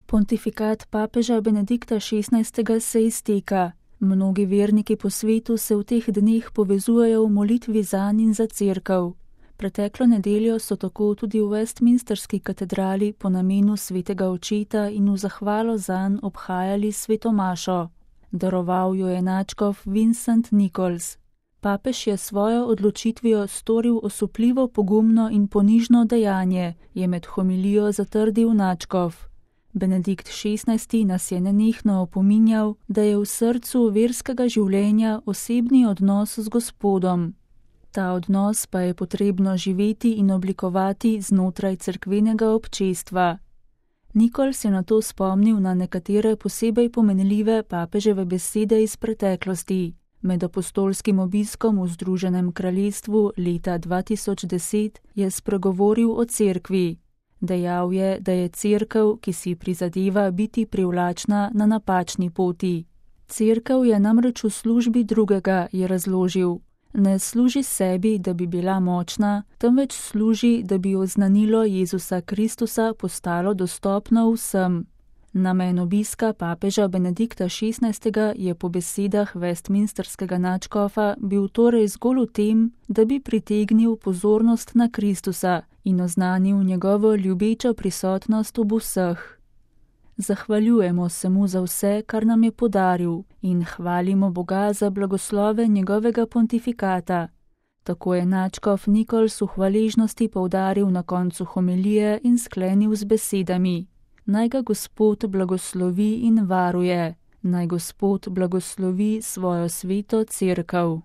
Pontifikat papeža Benedikta XVI. Se izteka. Mnogi verniki po svetu se v teh dneh povezujejo v molitvi zanj in za cerkev. Preteklo nedeljo so tako tudi v Westminsterski katedrali po namenu svetega očeta in v zahvalo zanj obhajali sveto mašo. Daroval jo je nadškof Vincent Nichols. Papež je svojo odločitvijo storil osupljivo, pogumno in ponižno dejanje, je med homilijo zatrdil nadškof. Benedikt XVI. Nas je nenehno opominjal, da je v srcu verskega življenja osebni odnos z Gospodom. Ta odnos pa je potrebno živeti in oblikovati znotraj cerkvenega občestva. Nichols je nato spomnil na nekatere posebej pomenljive papeževe besede iz preteklosti. Med apostolskim obiskom v Združenem kraljestvu leta 2010 je spregovoril o cerkvi. Dejal je, da je cerkev, ki si prizadeva biti privlačna, na napačni poti. Cerkev je namreč v službi drugega, je razložil. Ne služi sebi, da bi bila močna, temveč služi, da bi oznanilo Jezusa Kristusa postalo dostopno vsem. Namen obiska papeža Benedikta XVI. Je po besedah Westminsterskega nadškofa bil torej zgolj v tem, da bi pritegnil pozornost na Kristusa in oznanil njegovo ljubečo prisotnost ob vseh. Zahvaljujemo se mu za vse, kar nam je podaril, in hvalimo Boga za blagoslove njegovega pontifikata. Tako je nadškof Nichols v hvaležnosti poudaril na koncu homilije in sklenil z besedami: Naj ga Gospod blagoslovi in varuje, naj Gospod blagoslovi svojo sveto cerkev.